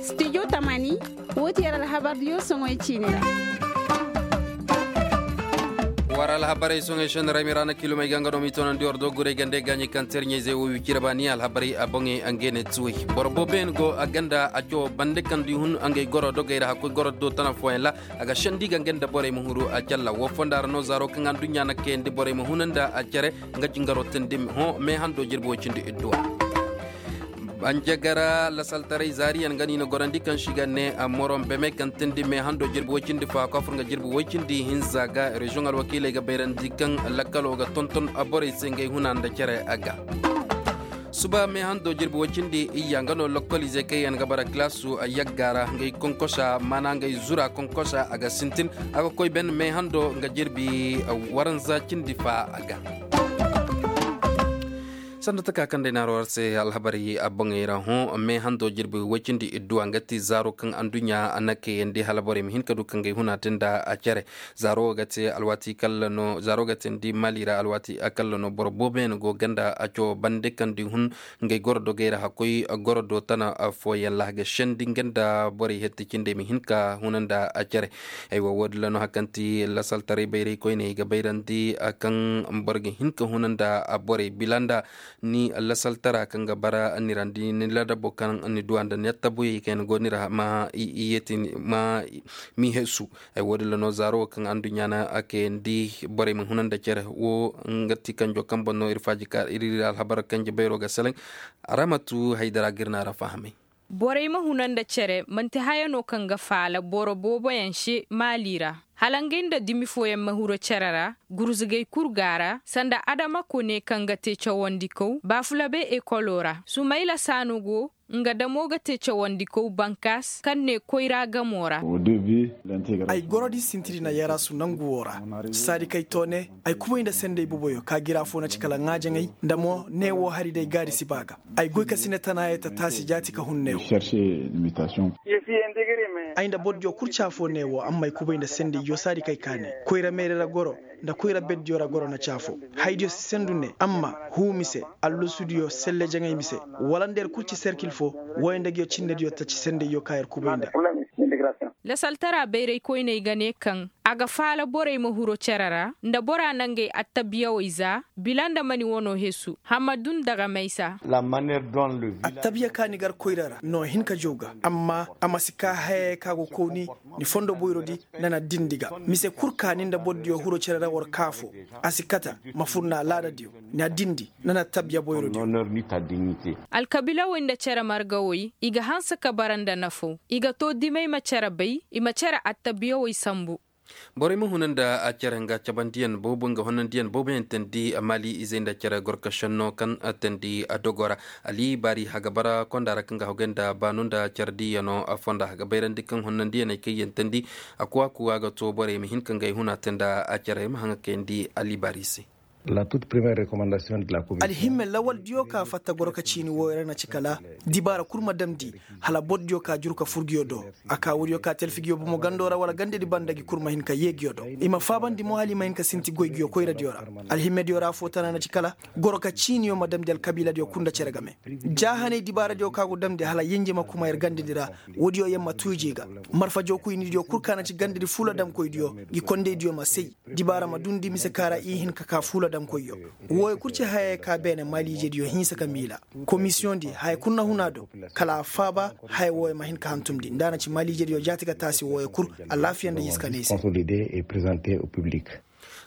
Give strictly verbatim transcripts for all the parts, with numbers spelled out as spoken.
Studio tamaani, woo ti yer alhabardiyo soŋey ciini ra. War alhabarey soŋey šenni ra ay ma i ra na kilomey ga nga no m'i toonandi war doogurey gande gaaɲey kaŋ terɲey zey wo wi cire baani alhabarey a boŋey a ngey ne tuwey. Boro booboyaŋ go a ganda a cawo bande kaŋ du i hun a ngey goro dogey ra hakkoy goro do tana fooyaŋ ra. A ga sendi ga nga nda borey ma huru a calla woo fonda ra no zaaro kaŋ anduɲɲa na kayandi borey ma huna nda a cere. Nga jingaroo teendi hõ mee hando jirbi woy cindi idduwa. Banjagara lasaltaray zaariyaŋ nga no i na gorandi kaŋ se i ga ne moron beme kaŋ teendi mee hando jirbi woy cindi faa ka fur nga jirbi woy cindi hinza ga reziyoŋ alwakiiley ga bayrandi kaŋ lakkaloo ga tonton borey se ngey huna nda cere a ga. Suba mee hando jirbi woy cindi iyya nga no lokkoliizey kaŋ yaŋ ga bara kilaasu yagga ra ngey konkosa maana ngey zura konkosa a ga sintin. A ga koy ben mee hando nga jirbi waranza cindi fa a ga. Sanda taka kaŋ day naaro war se alhabarey a boŋey ra hõ mee hando jirbi woy cindi idduwa nga ti zaaro kaŋ anduɲɲa a na kayandi hala borey ma hin ka du kaŋ gay huna te nda a cere. Zaaro wo ga te alwaati kalla no zaaro ga te ni di maali ra alwaati kalla no boro booboyaŋ go ganda a cawo bande kaŋ di hun. Ngey goro dogey ra hakkoy goro do tana fooyaŋ ra a ga sendi nga nda borey hetti cindey ma hin ka huna nda a cere. Aywa woodin ra no hari kaŋ ti lasaltaray bayray koyney ga bayrandi kaŋ boro ga hin ka huna nda borey bila nda ni lasaltara kaŋ ga bara ni ra nda ni ladabo kaŋ ni duwa nda ni attabuyaŋ kaŋ yaŋ go ni ra ma i yeeti ma m'i hesu. Ay woodin ra no zaaro wo kaŋ anduɲɲa na a kayandi borey ma huna nda cere wo nga ti kanjo kaŋ boŋ no ir faaji ka ir ir alhabar kanji bayro ga seleŋ. Ramatu haydara ga ir na ra fahamay. Borey ma huna nda cere manti haya no kaŋ ga faala boro booboyaŋ se maali ra. Hala ngey nda dimi fooyaŋ ma huru cere ra gurzugey kul go a ra sanda adama kone kaŋ ga te cawandikaw baafulabe ekolo ra sumayla saano go. Nga damo ga te cawandikaw bankaas kaŋ ne koyra gamo ra. Ay gorodi sintiri na yarasu nangu wo ra. Saadi kay toone ay kubay nda sendey boboyo ka gira fo na ci kala ŋaajaŋey nda mo neewo hari day gaadi si ba ga. Ay goy ka sine tana ye ta taasi jaati ka hun neewo. Ay nda bordiyo kul caafo neewo amma ay kubay nda sendey yo saadi kay ka ne koyra meere ra goro nda koyra beddiyo ra goro na caafo. Haydiyo si sendu ne amma huu mise allusudiyo selle jaŋay mise wala nda yer kul ci serkil fo. Wooyo nda ga yo cinnediyo taci sendey yo ka yer kubay nda. Lasaltara bayraykoyney ga ne kaŋ a ga faala borey ma huro cere ra nda bora nangey attabiyawey za bila nda mani wano hesu. Hamadun daga maysa. Attabiya ka ni gar koyra ra no hin ka jaw ga amma a ma si ka hayey ka go kooni. Ni fondo boyrodi nana dindi ga mise kul ka ni nda bordiyo huro cere ra war kaafo. A si kata ma fur na laadadiyo na dindi nana tabiya boyrodiyo. Alkabiilawey nda cere margawey i ga hanse ka bara nda nafaw. I ga too dimey ma cere bay i ma cere attabiyawey sambu. Borey ma huna nda a cere nga cabandiyaŋ boobo nga honandiyaŋ booboyaŋ teendi maali izey nda cere gorka šenno kaŋ teendi dogo ra. Ali baari haga bara konda ra kaŋ ga hogay nda baanu nda cere diiyano fonda haga bayrandi kaŋ honandiyaney kaŋ yaŋ teendi. A kuwa kuwa ga to borey ma hin ka ngey huna te nda a cere ma haŋa kayandi ali baari se. Alhimme lawaldiyo ka fatta goro ka ciini wooyo ra na ci kala dibaara kul ma damndi hala bordiyo ka juru ka fur nguyo do. A ka woodiyo ka talfi nguyo bomo gando ra wala gandedi banda ngi kul ma hin ka yee nguyo do. I ma faabandi mo hala i ma hin ka sinti goy nguyo koyradiyo ra. Alhimmediyo ra foo tana na ci kala goro ka ciiniyo ma damndi alkabiiladiyo kul nda cere game. Jaahaney dibaaradiyo ka go damndi hala yenje ma kuma yer gandedi ra. Woodiyo yer ma tuuji ga marfa jookuy ni diyo kul ka na ci gandedi fuula damkoydiyo ngi kondeydiyo ma say. Dibaara ma dundi mise kaara i hin ka ka fuula damkoyyo. Wooyo kul ci hayey ka beene maaliijediyo hinsa ka miila. Komisiyoŋ di haya kul na huna do kala a faaba. Haya wooyo ma hin ka hantumndi nda a na ci maaliijediyo jaati ka taasi wooyo kul. Alaafiya nda hinsa ka ne i se.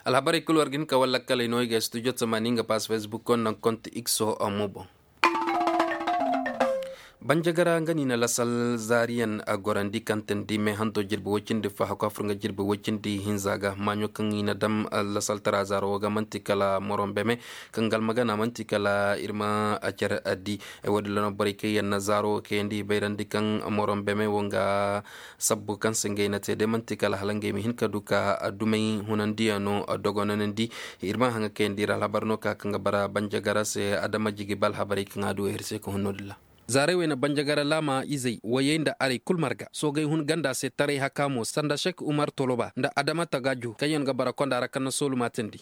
Alhabarey kul war ga hin ka walla kaley no i ga studio tamaani nga paas facebook naŋ konti ikso mo boŋ. Banjagara nga ni na lasal zaariyan a gorandi kaŋ teendi meehanto jirbi woy cindi fa hakku a fur nga jirbi woy cindi hinza ga maaɲo kaŋ i na dam lasaltara zaaro wo ga man'ti kala moron beme. Kaŋ ga almagana man'ti kala ir ma a care addi. Ay wo- din ra no borey kaŋ yaŋ na zaaro wo kayandi i bayrandi kaŋ moron beme wo nga sabbu kaŋ se ngey na te day man'ti kala hala ngey ma hin ka du ka dumey hunandiyano dogonanandi. Ir ma haŋa kayandi ra alhabar no ka kaŋ ga bara banjagara se adama jigi ba alhabarey kaŋ a du ay ir se ka hun no- din ra. Zaaray wey na banjagara laama izey wayey nda arey kul marga soogay hun ganda se taray haka mo sanda sek umar toloba nda adama tagajo kaŋ yaŋ ga bara konda ra kaŋ na soolu maatandi.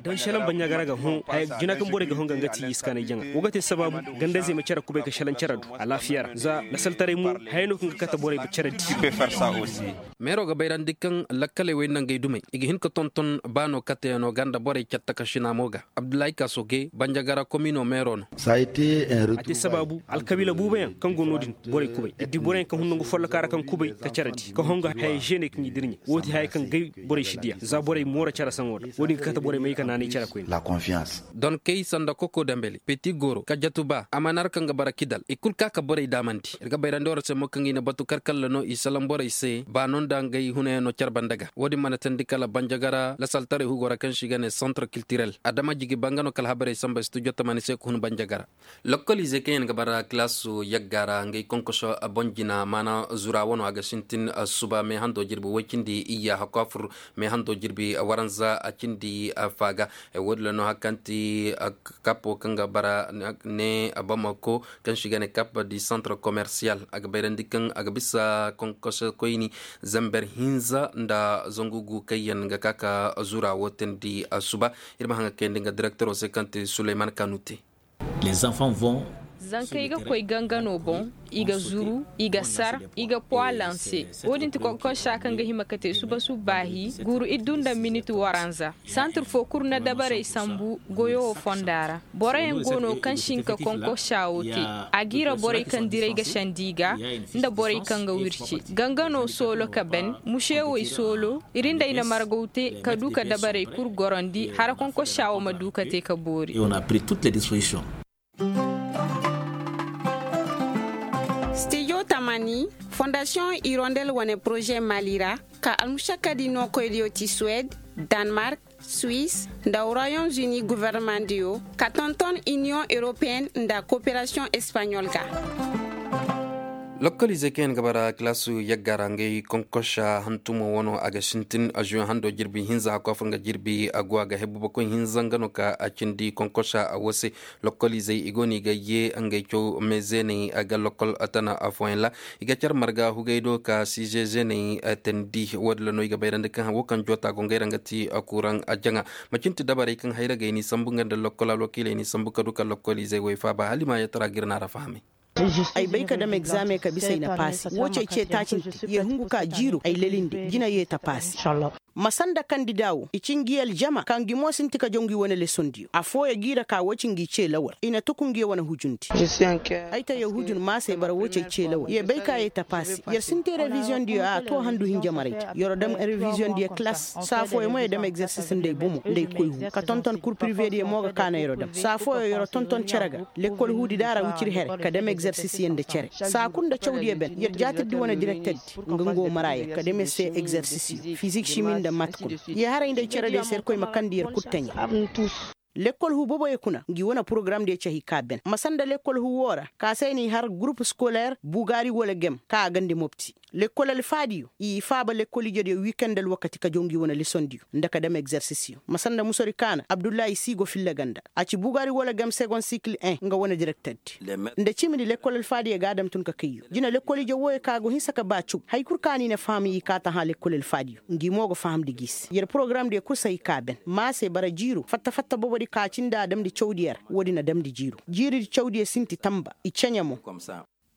Don šelaŋ banjagara ga hun haya jina kaŋ borey ga hun ga nga ti i si kaanay jaŋa wo ga te sabaabu ganda-izey ma care kubay ka šelaŋ care du alaafiya ra za lasaltaray mo haya no kaŋ ga kate borey ma care di. Meero ga bayrandi kaŋ lakkaley wey nangey dumey i ga hin ka tonton ba no kateyaŋo ga nda borey catta ka šina mo ga. Abdullahi kasoge banjagara komino meero no. A te sabaabu alkabiila buubayaŋ kaŋ go no-din borey kubay i di boroyaŋ kaŋ hun nangu folloka ra kaŋ kubay ka care di ka honga haya žeeney kaŋ i dirɲe wo- din haya kaŋ gay borey si diya za borey mooro care saŋo da wo- din ga kate borey may ka naanay care koyne. Donkey sanda koko dambele peti goro kajatu ba a mana ra kaŋ ga bara kidal i kul ka ka borey daamandi ir ga bayrandi war se mo kaŋ i na batu karkalla no i salaŋ borey se ba no nda ngey hunayaŋo care banda ga wo- din mana teendi kala banjagara lasaltaray hugo ra kaŋ se i ga ne santre kiltirel adama jigi ba nga no kala habarey samba studio tamani se ka hun banjagara. Lokkoliizey kaŋ yaŋ ga bara kilaasu yagga ra ngey konkoso boŋ jina maana zura wano a ga sintin suba meehando jirbi woy cindi iyya hakku a fur meehando jirbi waranza a cindi faaga. Wo- din ra no hari kaŋ ti kapo kaŋ ga bara ne bamako kaŋ se i ga ne kap di santre komersiyal a ga bayrandi kaŋ a ga bisa konkoso koyni zamber hinza nda zangu gu kaŋ yaŋ ga ka ka zura wo teendi suba. Ir ma haŋ ga kayandi nga direktero se kaŋ ti suleyman kanute. Zankey ga koy gangano boŋ, i ga zuru, i ga sar, i ga pwa lanse. Wo- din ti konkosa kaŋ ga hima ka te suba subbaahi guuru iddu nda minit waranza. Santir fo kul na dabarey sambu goyo wo fonda ra. Boroyaŋ go no kaŋ si hin ka konkosa wo te. A g'i ra borey kaŋ diray ga sendi i ga nda borey kaŋ ga wirci gangano soolo ka ben. Musewey soolo ir nda ay na margaw te ka du ka dabarey kul gorandi hara konkosa wo ma du ka te ka boori. Stijo tamani, fondasiyoŋ irondel wane poroze mali ra, ka almušakkadi nookoydiyo ti suwed, danmark, suwis, nda royom zuni governemandiyo ka tonton iniyoŋ europeyen nda koperasiyoŋ espaɲol ga. Lokkoliizey kaŋ yaŋ ga bara kilaasu yagga ra ngey konkosa hantumo wano a ga sintin azuweŋ hando jirbi hinza hakku a fur nga jirbi a go a ga hebu bakoy hinza nga no ka a cindi konkosa a wo se. Lokkoliizey i go no i ga ye ngey caw me zeeney ga lokkol tana afooyaŋ ra. I ga care marga hugay do ka size zeeney teendi wo- din ra no i ga bayrandi kaŋ wo kaŋ joota go ngey ra nga ti kuraŋ jaŋa. Macin ti dabarey kaŋ hayra ga i n'i sambu nga nda lokkol alwakiiley n'i sambu ka du ka lokkoliizey woy faaba hala i ma yeetara ga ir n'a ra fahamay. Ay bay ka dam egzaameŋ ka bisa ay na paasi wo ci ay ce taaci nte yer hungu ka jiiro ay lelindi jina yee ta paasi. Ma sanda kandida wo i ci ngi aljama ka ngi mo sinti ka jaw ngi wane lesondiyo affooyaŋ g'i ra ka wo ci ngi ce lawal i na tuku ngi wane hujundi. Ay ta yer hujun maasey bara wo ci ay ce lawal yer bay ka yee ta paasi yer sinti reviziyondiyo a to handu hinja maray ta yer dam reviziyondiyo kilas saa fooyaŋ mo yer dam egzersis nda ay bomo nda ay koy hu ka tonton kur pirivediyo mo ga ka na yer dam saa fooyaŋ yer tonton cere ga. Lekkol huudi da a ra wicir here ka dam egzersisiyaŋ nda cere saa kul nda cawdiyo ben yer jaatirdi wane direkterdi nga ngo maraaya ka dam yer se egzersisiyo fizik simi nda mat kul. Yer haray nda ay cerediyo se irkoy ma kandi yer kul taɲa. Lekkol huu boboyo kuna ngi wane porogaramdiyo cahi ka ben ma sanda lekkol huu woo ra ka se ay n'i har gurup skoler bugaari wala gem ka a gandi mopti. Lekkol alfaadiyo i faaba lekkol ijediyo wikend alwakati ka jaw ngi wane lesondiyo nda ka dam egzersisiyo ma sanda musori kaana abdullahi si go filla ganda a ci bugaari wala gem segon sikil en nga wane direkterdi. Nda cimindi lekkol alfaadiyo ga a dam tun ka kayyo jina lekkol ije wooyo ka go hinsa ka ba caw haya kul ka ni na faham i ka ta hã lekkol alfaadiyo ngi mo ga fahamndi g'i se yer porogaramdiyo kul si hay ka ben maase bara jiiro fatta fatta bobodi ka cindi a damndi cawdiyo ra woodin a damndi jiiro jiiridi cawdiyo sinti tamba i ceɲe mo.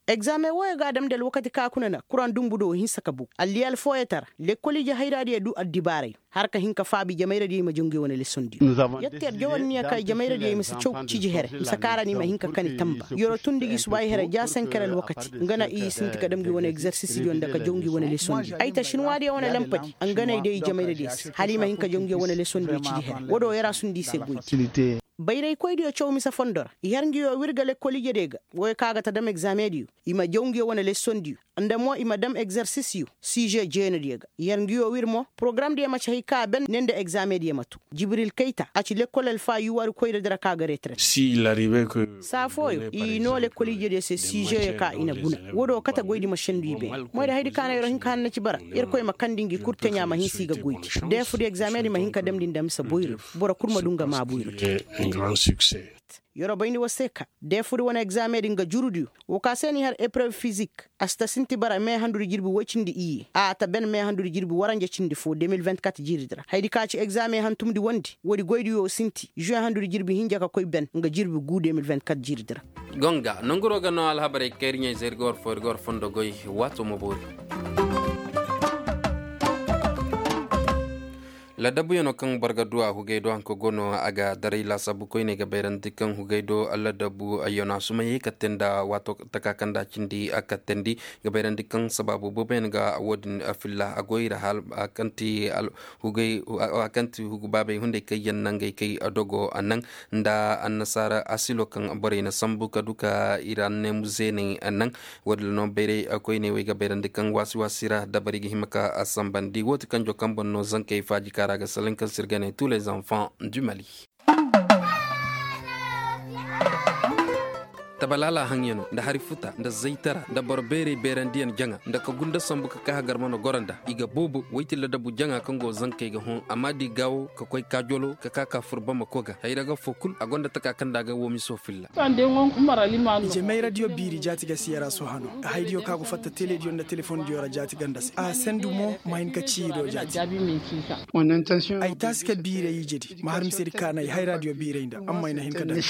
Egzaameŋ wooyo ga a damndi alwakati ka kuna na kuraŋ dumbu do hinsa ka bogu alliyal fooyotara lekkol ije hayraadiyo du addibaaray har ka hin ka faabi jamayradiyo i ma jaw ngi wane lesondiyo. Yer te yer jaw anniya ka i jamayradiyo i ma si caw ciji here bisa kaara ni ma hin ka kani tamba yer tundi gi subaayi here ja senker alwakati nga na i sinti ka dam ngi wane egzersisidiyo nda ka jaw ngi wane lesondiyo ay ta sinwaadiyo wane lampadi nga na i day i jamayradiyo se hala i ma hin ka jaw ngi wane lesondiyo ciji here woo do yer a sundi i se goydi. Bayraykoydiyo caw mise fondo ra i har ngi woo wir ga lekkol ijediyo ga wooyo kaŋ a ga ta dam egzaameŋdiyo i ma jaw ngi woo wane lesondiyo nda mo i ma dam egzersisiyo size jeenediyo ga i har ngi woo wir mo porogaramdiyo ma ci hay ka a ben ne nda egzaameŋdiyo ma tun. Jibril kayta a ci lekkol alfa yuwarikoyradi ra kaŋ a ga retereet. Saa fooyo i noo lekkol ijediyo se sizeyo ka i na guna woo do kate goydi ma sendu i beene moyda haydi ka na yer hin ka hanna ci bara yerkoy ma kandi ngi kul teɲa ma hinsa i ga goydi deefudi egzaameŋdi ma hin ka damndi nda mise boyrodi boro kul ma du nga maa boyrodi. Yeroo bayndi war se ka deefudi wane egzaameŋ din ga jurudiyo. Woo ka se n'i har epreuve fizik a si ta sinti bara mee handudi jirbi woy cindi iyye a ta ben mee handudi jirbi waranja cindi foo de mil vinti-kat jiiridi ra hayadi ka ci egzaameŋ hantumdi wondi woodi goydiyo sinti žuweŋ handudi jirbi hinja ka koy ben nga jirbi guu de mil vinti-kat jiiridi ra. Gonga nonguroo ga noo alhabarey kayri ɲayzey ir ga war foo ir ga war fondo goy. Waatoo ma boori. Ladabuyano kaŋ boro ga du a hugay do hanka go no a ga daray laasaabu koyney ga bayrandi kaŋ hugay do ladabu yano a sumay hay katte nda waato taka kaŋ nda a cindi a kattandi ga bayrandi kaŋ sabaabu booboyaŋ ga wo- din filla a goy ra hal a kaŋ ti hugay a kaŋ ti hugu baabey hunday kaŋ yaŋ nangey kay dogo naŋ nda annasaara asilo kaŋ borey na sambu ka du ka ira neemu zeeney naŋ. Wo- din no bayray koyney wey ga bayrandi kaŋ waasi waasi ra dabari ga hima ka sambandi wo- ti kanjo kaŋ boŋ no zankey faaji kaara ga salaŋ kaŋ se ir ga ne tous les enfants du mali. Tabalaala haŋyano nda hari futa nda zaytara nda boro beerey beerandiyaŋ jaŋa nda ka gunda sambu ka kaa hagar mana goro nda i ga boobo woy ti ladabu jaŋa kaŋ go zankey ga hõ amma da i gaawo ka koy kaajolo ka kaa ka fur bamako ga hayra ga foo kul a gonda taka kaŋ nda a ga woo miso filla. Ije mayradiyo biiri jaati ga si yara sohano. Haydiyo ka go fatta telediyo nda telefondiyo ra jaati ganda se a sendu mo ma hin ka ciido jaati. Ay taasi ka biiray ijedi ma har misedi kaanay hayraadiyo biiray nda amma ay na hin ka daŋ.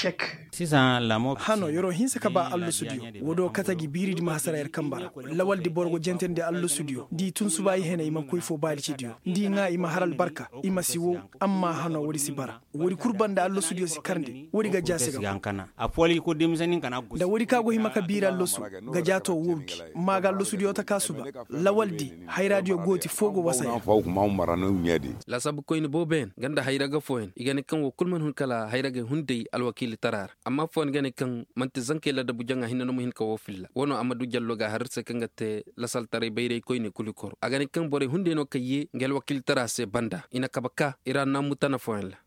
Hano yeroo hinsa ka ba allasudiyo. Woo do kate gi biiridi ma hasara yer kamba ra. Lawaldi boro go jentandi allasudiyo da i tun suba i hene i man koy foo baalicidiyo da i ŋaa i ma har albarka i ma si wow. Amma hano woodi si bara. Woodi kul banda allasudiyo si karndi woodi ga jaase ga. Nda woodi ka go hima ka biiri allasu ga jaato woo gi ma ga allasudiyo taka suba. Lawaldi hayraadiyo gooti foo go wasa yer. Laasaabu koyni booboyaŋ ganda hayra ga fooyaŋ i ga ne kaŋ woo kul man hun kala hayra gay hunday alwakiilitara ra. Amma fooyaŋ ga ne kaŋ man'ti zankey ladabu jaŋa hinne no ma hin ka woo filla woo no a ma du jallo ga har ir se kaŋ ga te lasaltaray bayray koyne kulu koro a ga ne kaŋ borey hunday no kaŋ yee nga alwakiilitara se banda i na kabe ka ir annaamu tana fooyaŋ ra.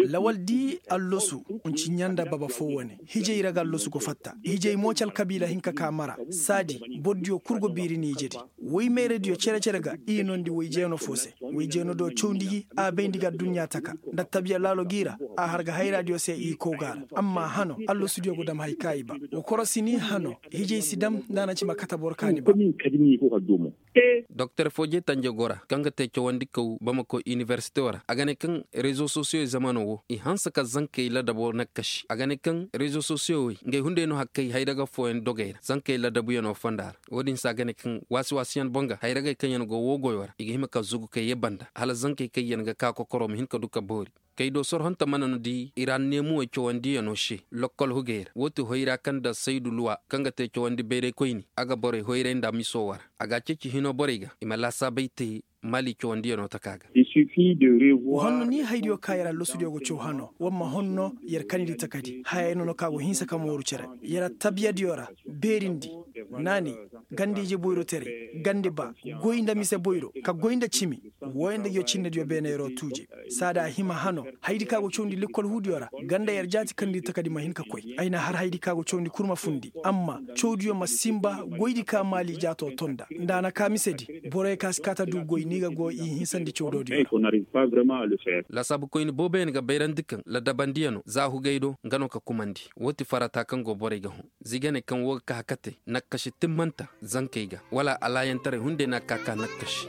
Lawal di allosu. Nci ɲanda baba foo wane hijay ra ga allosu go fatta hijay mo ci alkabiila hinka ka mara saadi. Bordiyo kul go biiri ni ijedi woy meeradiyo cere-cere ga i nondi woy jeeno foo se woy jeeno do cawndi gi a bayndi ga adduɲɲa taka nda tabiya laalo g'i ra a har ga hayraadiyo se i kow ga a ra. Amma hano allosudiyo go dam hay ka i ba. Wa korosi ni hano hijay si dam nda a na ci ma kate boro ka ni ba. Doktor foo jee tanje go ra kaŋ ga te cawandi kaw bamako inibersitewo ra a ga ne kaŋ rezo sosiyowey zamano wo i hanse ka zankey ladabo nakkasi a ga ne kaŋ rezo sosiyowey ngey hunday no hakkey hayra ga fooyaŋ dogey ra zankey ladabuyano fonda ra. Wo-din se a ga ne kaŋ waasi-waasiyaŋ boŋ ga hayragey kaŋ yaŋ go woo goyo ra i ga hima ka zugu ka yee banda hala zankey kaŋ yaŋ ga ka kokoro ma hin ka du ka boori. Kay do sorhonte mana no di iraanneemuwey cawandiyano se lokkol hugey ra woo ti hoyra kaŋ nda saydu luwa kaŋ ga te cawandi bayraykoyni a ga borey hoyray nda miso wara. A ga a ceeci hinoo borey ga i ma laasaabey te maali cawandiyano taka ga. Wa honno ni haydiyo ka yer allosudiyo go caw hano war ma honno yer kanidi takadi hayey no no ka go hinsa ka mooru cere yer attabiyadiyo ra. Beerindi naani ganda ije boyro tere ganda ba goy nda mise boyro ka goy nda cimi. Wooyaŋ nda ngiyo cinnediyo beene yeroo tuuje. Saada a hima hano hayadi ka go cawndi lekkol huudiyo ra ganda yer jaati kaŋ nda i takadi ma hin ka koy ay na har hayadi ka go cawndi kul ma fundi amma cawdiyo ma sinba goydi ka maali jaatoo tonda nda a na kaa misedi. Boroyo ka si kaa ta du goy ni ga go i hinsandi cawdoodiyo ra. Laasaabukoyni booboyaŋ ga bayrandi kaŋ ladabandiyano za hugay do nga no ka kumandi. Woo ti farata kaŋ go borey ga hõ zigane kaŋ woo ga ka hakate nakkasi timmanta zankey ga wala alaayantaray hunday na ka ka nakkasi.